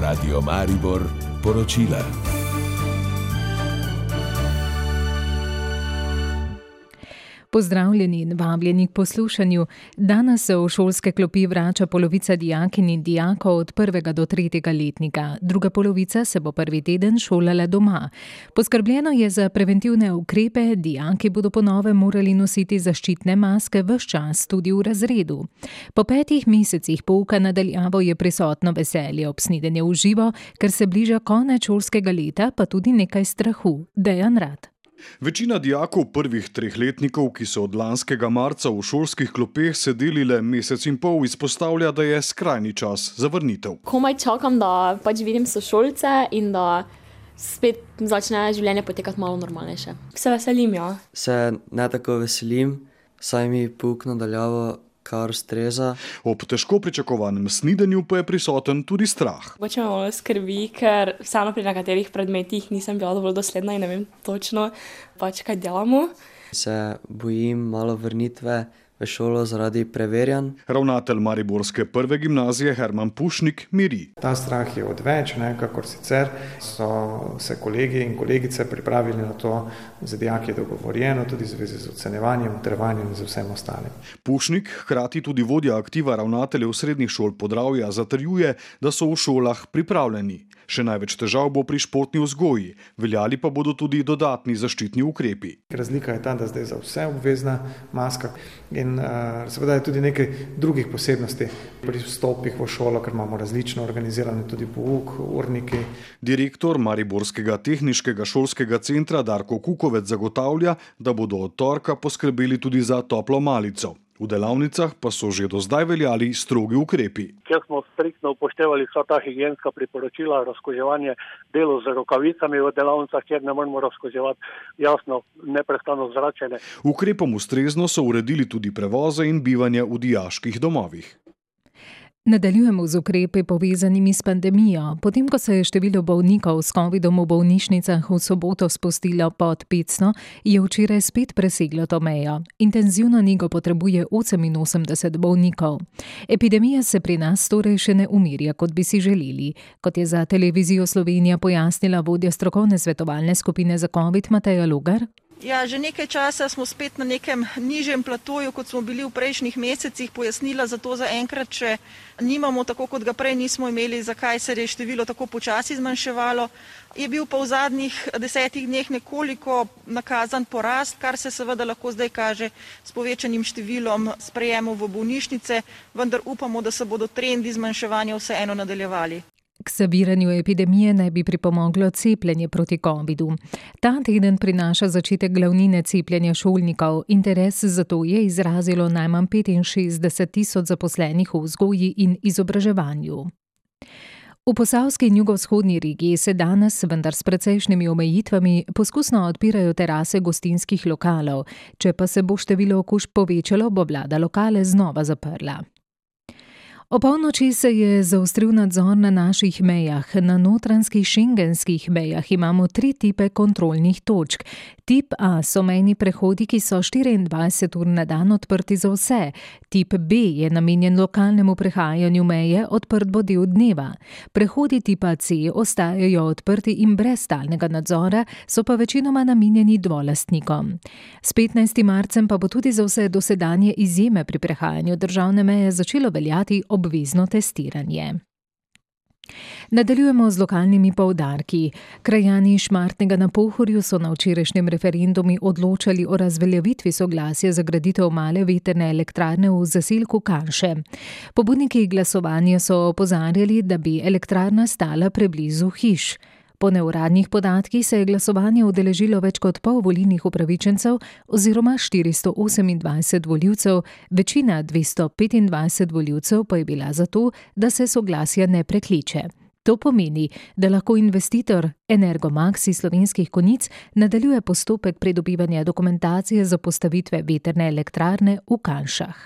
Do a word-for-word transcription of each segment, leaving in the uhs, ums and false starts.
Radio Maribor poročila. Pozdravljeni in vabljeni k poslušanju. Danes se v šolske klopi vrača polovica dijakinj in dijakov od prvega do tretjega letnika. Druga polovica se bo prvi teden šolala doma. Poskrbljeno je za preventivne ukrepe, dijaki bodo po novem morali nositi zaščitne maske ves čas tudi v razredu. Po petih mesecih pouka na daljavo je prisotno veselje ob snidenju v živo, ker se bliža konec šolskega leta, pa tudi nekaj strahu. Dejan Rad. Večina dijakov prvih treh letnikov, ki so od lanskega marca v šolskih klopeh sedeli le mesec in pol, izpostavlja, da je skrajni čas za vrnitev. Komaj čakam, da pač vidim sošolce in da spet začne življenje potekati malo normalnejše. Se veselim, ja. Se ne tako veselim, saj mi pouk na daljavo kar ustreza. Ob težko pričakovanem snidenju pa je prisoten tudi strah. Pač me malo skrbi, ker vseeno pri nekaterih predmetih nisem bila dovolj dosledna in ne vem točno, pač kaj delamo. Se bojim malo vrnitve v šolo zaradi preverjanj. Ravnatelj mariborske prve gimnazije Herman Pušnik miri. Ta strah je odveč, ne, kakor sicer so se kolegi in kolegice pripravili na to, za dijake je dogovorjeno, tudi v zvezi z ocenjevanjem, utrjevanjem in z vsem ostalim. Pušnik, hkrati tudi vodja aktiva ravnateljev srednjih šol Podravja, zatrjuje, da so v šolah pripravljeni. Še največ težav bo pri športni vzgoji, veljali pa bodo tudi dodatni zaščitni ukrepi. Razlika je ta, da zdaj za vse obvezna maska in uh, seveda je tudi nekaj drugih posebnosti pri vstopih v šolo, ker imamo različno organizirane tudi pouk, urniki. Direktor Mariborskega tehniškega šolskega centra Darko Kukovec zagotavlja, da bodo od torka poskrbeli tudi za toplo malico. V delavnicah pa so že do zdaj veljali strogi ukrepi. Kjer smo striktno upoštevali vsa ta higienska priporočila, razkoževanje, delo z rokavicami v delavnicah, kjer ne moramo razkoževati, jasno, neprestano zračenje. Ukrepom ustrezno so uredili tudi prevoze in bivanje v dijaških domovih. Nadaljujemo z ukrepi povezanimi s pandemijo. Potem, ko se je število bolnikov s covidom v bolnišnicah v soboto spustilo pod petsto, je včeraj spet preseglo to mejo. Intenzivno nego potrebuje oseminosemdeset bolnikov. Epidemija se pri nas torej še ne umirja, kot bi si želeli. Kot je za Televizijo Slovenija pojasnila vodja strokovne svetovalne skupine za covid Mateja Logar. Ja, že nekaj časa smo spet na nekem nižjem platoju, kot smo bili v prejšnjih mesecih. Pojasnila za to zaenkrat, če nimamo, tako kot ga prej nismo imeli, zakaj se je število tako počasi zmanjševalo. Je bil pa v zadnjih desetih dneh nekoliko nakazan porast, kar se seveda lahko zdaj kaže s povečanim številom sprejemov v bolnišnice, vendar upamo, da se bodo trendi zmanjševanja vseeno nadaljevali. K zaviranju epidemije naj bi pripomoglo cepljenje proti covidu. Ta teden prinaša začetek glavnine cepljenja šolnikov. Interes za to je izrazilo najmanj petinšestdeset tisoč zaposlenih v vzgoji in izobraževanju. V posavski in jugovzhodni regiji se danes, vendar s precejšnjimi omejitvami, poskusno odpirajo terase gostinskih lokalov. Če pa se bo število okužb povečalo, bo vlada lokale znova zaprla. O polnoči se je zaostril nadzor na naših mejah. Na notranjskih šengenskih mejah imamo tri tipe kontrolnih točk. Tip A so mejni prehodi, ki so štiriindvajset ur na dan odprti za vse. Tip B je namenjen lokalnemu prehajanju meje, odprt bo del dneva. Prehodi tipa C ostajajo odprti in brez stalnega nadzora, so pa večinoma namenjeni dvolastnikom. S petnajstim marcem pa bo tudi za vse dosedanje izjeme pri prehajanju državne meje začelo veljati obvezno testiranje. Nadaljujemo z lokalnimi poudarki. Krajani Šmartnega na Pohorju so na včerajšnjem referendumu odločali o razveljavitvi soglasja za graditev male vetrne elektrarne v zaselku Kanše. Pobudniki glasovanja so opozarjali, da bi elektrarna stala preblizu hiš. Po neuradnih podatkih se je glasovanje udeležilo več kot pol volilnih upravičencev oziroma štiristo osemindvajset volivcev, večina dvesto petindvajset volivcev pa je bila za to, da se soglasja ne prekliče. To pomeni, da lahko investitor Energomax iz Slovenskih Konjic nadaljuje postopek pridobivanja dokumentacije za postavitve vetrne elektrarne v Kanšah.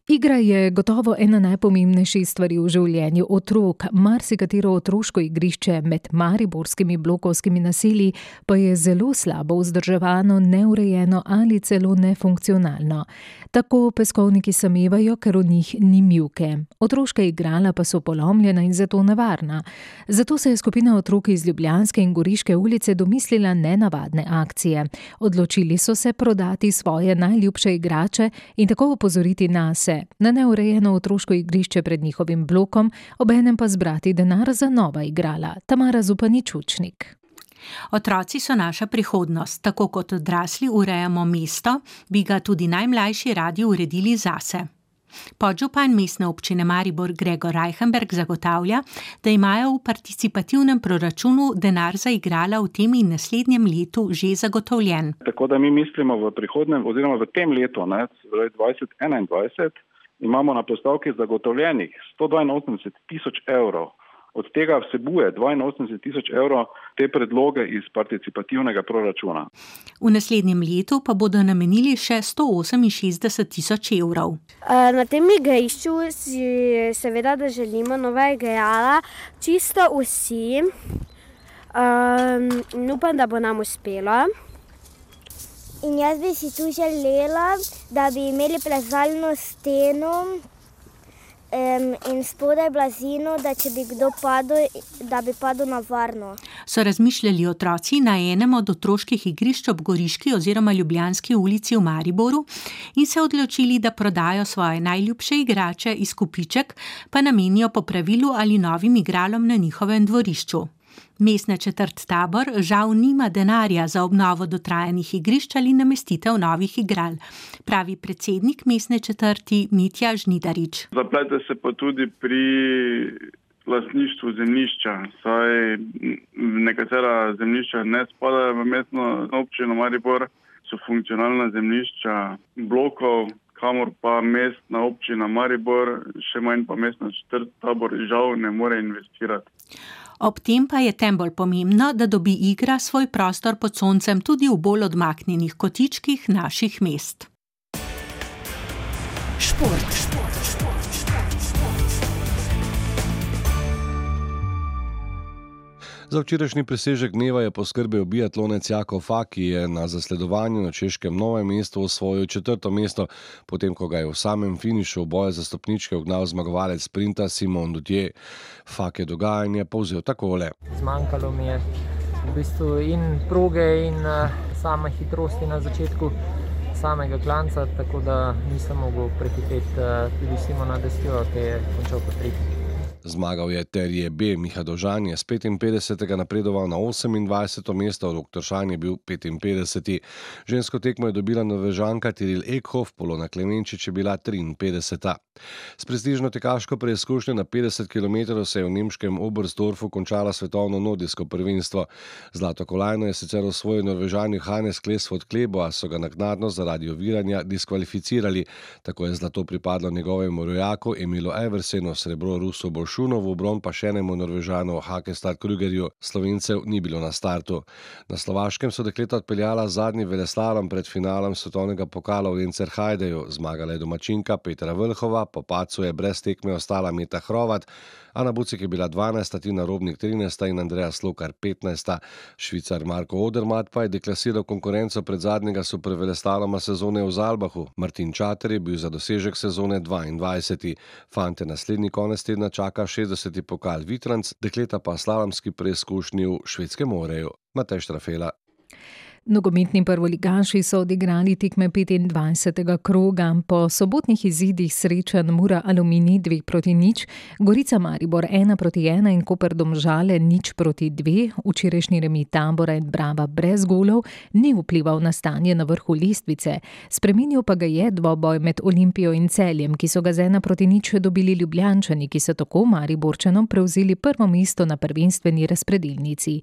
Igra je gotovo ena najpomembnejših stvari v življenju otrok. Marsikatero otroško igrišče med mariborskimi blokovskimi naselji pa je zelo slabo vzdrževano, neurejeno ali celo nefunkcionalno. Tako peskovniki samevajo, ker v njih ni mivke. Otroška igrala pa so polomljena in zato nevarna. Zato se je skupina otrok iz Ljubljanske in Goriške ulice domislila nenavadne akcije. Odločili so se prodati svoje najljubše igrače in tako opozoriti nase na neurejeno otroško igrišče pred njihovim blokom, obenem pa zbrati denar za nova igrala. Tamara Zupanič-Učnik. Otroci so naša prihodnost. Tako kot odrasli urejamo mesto, bi ga tudi najmlajši radi uredili zase. Podžupan mestne občine Maribor Gregor Reichenberg zagotavlja, da imajo v participativnem proračunu denar za igrala v tem in naslednjem letu že zagotovljen. Tako da mi mislimo v prihodnem oziroma v tem letu, ne, dvajset enaindvajset, imamo na postavki zagotovljenih sto dvainosemdeset tisoč evrov. Od tega vsebuje dvainosemdeset tisoč evrov te predloge iz participativnega proračuna. V naslednjem letu pa bodo namenili še sto oseminšestdeset tisoč evrov. Na tem igrišču si seveda, da želimo nova igrala, čisto vsi. Um, upam, da bo nam uspelo. In jaz bi si tu želela, da bi imeli plezalno steno Um, in spodaj blazino, da če bi kdo padel, da bi padel na varno. So razmišljali otroci na enem od otroških igrišč ob Goriški oziroma Ljubljanski ulici v Mariboru in se odločili, da prodajo svoje najljubše igrače, izkupiček pa namenijo popravilu ali novim igralom na njihovem dvorišču. Mestna četrt Tabor žal nima denarja za obnovo dotrajanih igrišč ali namestitev novih igral, pravi predsednik mestne četrti Mitja Žnidarič. Zaplete se pa tudi pri lastništvu zemljišča, saj nekatera zemljišča ne spadajo v mestno občino Maribor, so funkcionalna zemljišča blokov, kamor pa mestna občina Maribor, še manj pa mestna četrt Tabor žal ne more investirati. Ob tem pa je tem bolj pomembno, da dobi igra svoj prostor pod soncem tudi v bolj odmaknjenih kotičkih naših mest. Šport, šport, šport, šport, šport. Za včerajšnji presežek dneva je poskrbel biatlonec Jakov Fak, ki je na zasledovanju na češkem Novem mestu osvojil četrto mesto, potem ko ga je v samem finišu boja za stopničke ugnal zmagovalec sprinta Simon Dutje. Fak je dogajanje povzel takole. Zmanjkalo mi je v bistvu in proge in same hitrosti na začetku samega klanca, tako da nisem mogel prehiteti tudi Simona Destjo, ki je končal po tretji. Zmagal je Terje B. Miha Dovžan je s petinpetdesetega napredoval na osemindvajseto mesto, Rok Tršan je bil petinpetdeseti. Žensko tekmo je dobila Norvežanka Tiril Ekhof, Polona Klemenčič je bila triinpetdeseta. S prestižno tekaško preizkušnjo na petdeset kilometrov se je v nemškem Oberstdorfu končala svetovno nordijsko prvenstvo. Zlato kolajno je sicer osvojil Norvežan Johannes Klesvod Klebo, a so ga naknadno zaradi oviranja diskvalificirali. Tako je zlato pripadlo njegovemu rojaku Emilu Eversenu, srebro Rusu Bolšunovu, bron pa še enemu Norvežanu Hakestad Krügerju. Slovencev ni bilo na startu. Na Slovaškem so dekleta odpeljala zadnji veleslalom pred finalom svetovnega pokala v Encerhajdeju. Zmagala je domačinka Petra Vlhova, po padcu je brez tekme ostala Meta Hrovat, Ana Bucik je bila dvanajsta, Tina Robnik trinajsta in Andreja Slokar petnajsta. Švicar Marko Odermatt pa je deklasiral konkurenco pred zadnjega superveleslaloma sezone v Zalbahu. Martin Čater je bil za dosežek sezone dvaindvajseti. Fante naslednji konec tedna čaka šestdeseti pokal Vitranc, dekleta pa slalomski preizkušnji v Švedskem Moreju. Matej Štrafela. Nogometni prvoligaši so odigrali tekme petindvajsetega kroga. Po sobotnih izidih srečanj Mura Aluminij dve proti nič, Gorica Maribor ena proti ena in Koper Domžale nič proti dve, včerajšnji remi Tabora in Brava brez golov ni vplival na stanje na vrhu lestvice. Spremenil pa ga je dvoboj med Olimpijo in Celjem, ki so ga z ena proti nič dobili Ljubljančani, ki so tako Mariborčanom prevzeli prvo mesto na prvenstveni razpredelnici.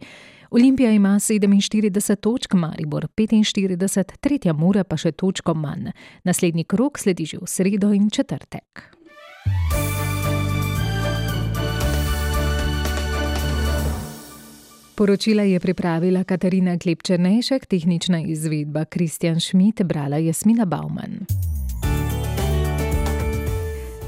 Olimpija ima sedeminštirideset točk, Maribor petinštirideset, tretja Mura pa še točko manj. Naslednji krog sledi že v sredo in četrtek. Poročila je pripravila Katarina Klepčernejšek, tehnična izvedba Kristjan Šmit, brala Jasmina Bauman.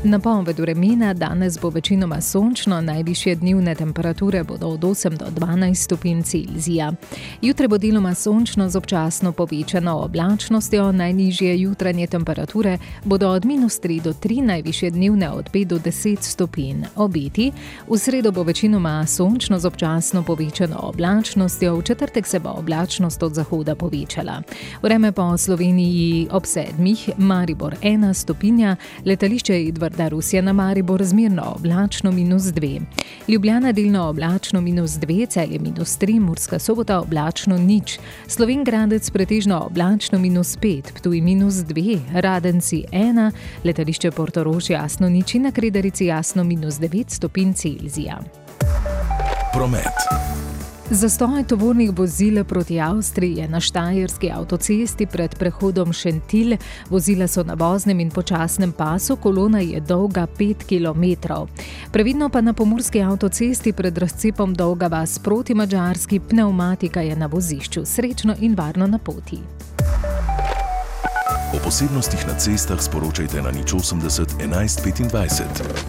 Napoved vremena: danes bo večinoma sončno, najvišje dnevne temperature bodo od osem do dvanajst stopinj Celzija. Jutri bo deloma sončno z občasno povečano oblačnostjo, najnižje jutranje temperature bodo od minus tri do tri, najvišje dnevne od pet do deset stopinj. Obeti: v sredo bo večinoma sončno z občasno povečano oblačnostjo, v četrtek se bo oblačnost od zahoda povečala. Vreme po Sloveniji ob sedmih: Maribor ena stopinja, letališče Edvarda Rusija na Maribor zmerno oblačno minus dve. Ljubljana delno oblačno minus dve, Celje minus tri, Murska Sobota oblačno nič. Slovenj Gradec pretežno oblačno minus pet, Ptuj minus dve, Radenci ena, letališče Portorož jasno nič in na Kredarici jasno minus devet stopinj Celzija. Promet. Zastoj tovornih vozil proti Avstriji je na štajerski avtocesti pred prehodom Šentilj. Vozila so na voznem in počasnem pasu, kolona je dolga pet kilometrov. Previdno pa na pomurski avtocesti pred razcepom Dolga vas proti Madžarski, pnevmatika je na vozišču. Srečno in varno na poti. O posebnostih na cestah sporočajte na nič osemdeset enajst petindvajset.